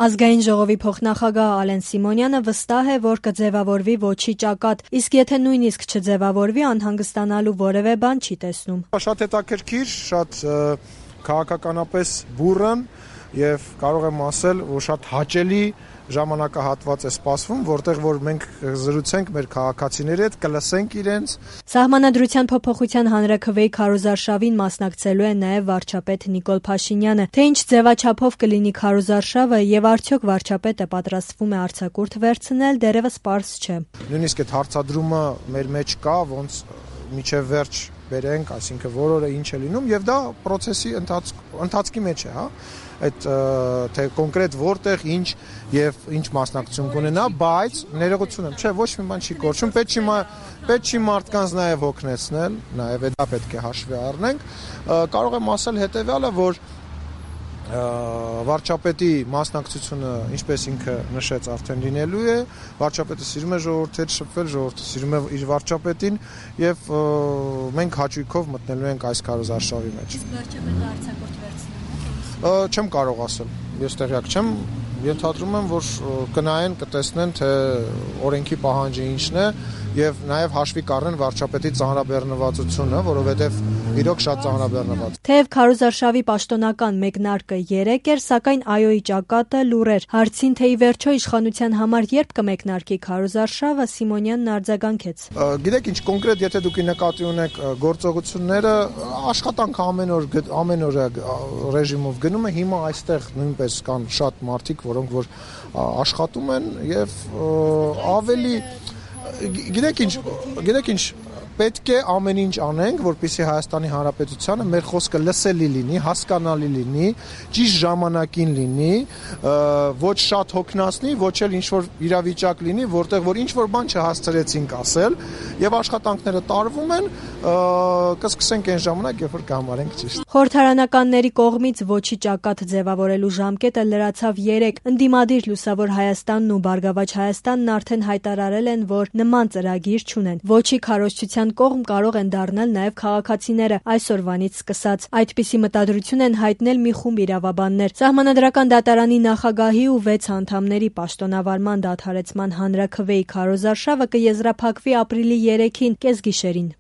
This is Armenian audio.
Ազգային ժողովի փոխնախագահ Ալեն Սիմոնյանը վստահ է, որ կձևավորվի ոչի ճակատ, իսկ եթե նույնիսկ չձևավորվի, անհանգստանալու որևէ բան չի տեսնում։ Շատ հետաքրքիր, շատ քաղաքականապես բուռն եւ կարող եմ ասել, որ շատ հաճելի ժամանակահատված է սպասվում, որտեղ որ մենք զրուցենք մեր քաղաքացիների հետ, կլսենք իրենց։ Սահմանադրության փոփոխության հանրաքվեի քարոզարշավին մասնակցելու է նաև վարչապետ Նիկոլ Փաշինյանը։ Թե ինչ ձևաչափով կլինի քարոզարշավը եւ արդյոք վարչապետը պատրաստվում է արձակուրդ վերցնել, դեռևս պարզ չէ։ Նույնիսկ այդ հարցադրումը մեր մեջ կա, ոնց միջև վերջ բերենք, այսինքն որ օրը ինչ է լինում եւ դա process-ի ընթացքի մեջ է, հա։ Այդ թե կոնկրետ որտեղ ինչ եւ ինչ մասնակցություն կունենա, բայց ներողություն եմ, չէ, ոչ մի բան չի կորչում, պետք չի մարդկանց նաեւ հոգնեցնել, նաեւ դա պետք է հաշվի առնենք։ Կարող եմ ասել հետեւյալը, որ վարչապետի մասնակցությունը, ինչպես ինքը նշեց, արդեն լինելու է, վարչապետը սիրում է ժողովրդի հետ շփվել, ժողովուրդը սիրում է իր վարչապետին եւ մենք հաճույքով մտնելու ենք այս քարոզարշավի մեջ։ Իսկ վարչապետը արձակուրդ վերցնի։ Չեմ կարող ասել, ես տեղյակ չեմ, ենթադրում եմ, որ կնայեն, կտեսնեն, թե օրենքի պահանջը ինչն է եւ նաեւ հաշվի կառնեն վարչապետի ծանրաբեռնվածությունը, որովհետեւ իրոք շատ ծանրաբեռնված։ Թեև քարոզարշավի պաշտոնական մեկնարկը 3 էր, սակայն ԱՅՈ-ի ճակատը լուռ էր։ Հարցին, թե ի վերջո իշխանության համար երբ կմեկնարկի քարոզարշավը, Սիմոնյանն արձագանքեց։ Գիտեք ինչ, կոնկրետ եթե դուք նկատի ունեք գործողությունները, աշխատանքը ամեն օր ռեժիմով գնում է, հիմա այստեղ նույնպես կան շատ մարդիկ, որոնք որ աշխատում են եւ ավելի գիտեք ինչ պետք է ամեն ինչ անենք, որպեսզի Հայաստանի Հանրապետությանը մեր խոսքը լսելի լինի, հասկանալի լինի, ճիշտ ժամանակին լինի, ոչ շատ հոգնածնի, ոչ էլ ինչ-որ իրավիճակ լինի, որտեղ որ ինչ-որ բան չհասցրեցինք ասել, եւ աշխատանքները տարվում են, կսկսենք այն ժամանակ, երբ որ կհամարենք ճիշտ։ Խորհրդարանականների կողմից ոչի ճակատ ձևավորելու ժամկետը լրացավ 3։ Ընդդիմադիր Լուսավոր Հայաստանն ու Բարգավաճ Հայաստանն արդեն հայտարարել են, որ նման ծրագիր չունեն։ Ոչի քարոզչության կողմ կարող են դառնալ նաև քաղաքացիները այսօրվանից սկսած։ Այդպիսի մտադրություն են հայտնել մի խումբ իրավաբաններ։ Սահմանադրական դատարանի նախագահի ու 6 անդամների պաշտոնավարման դադարեցման հանրաքվեի քարոզարշավը կեզրափակվի ապրիլի 3-ին կեսգիշերին։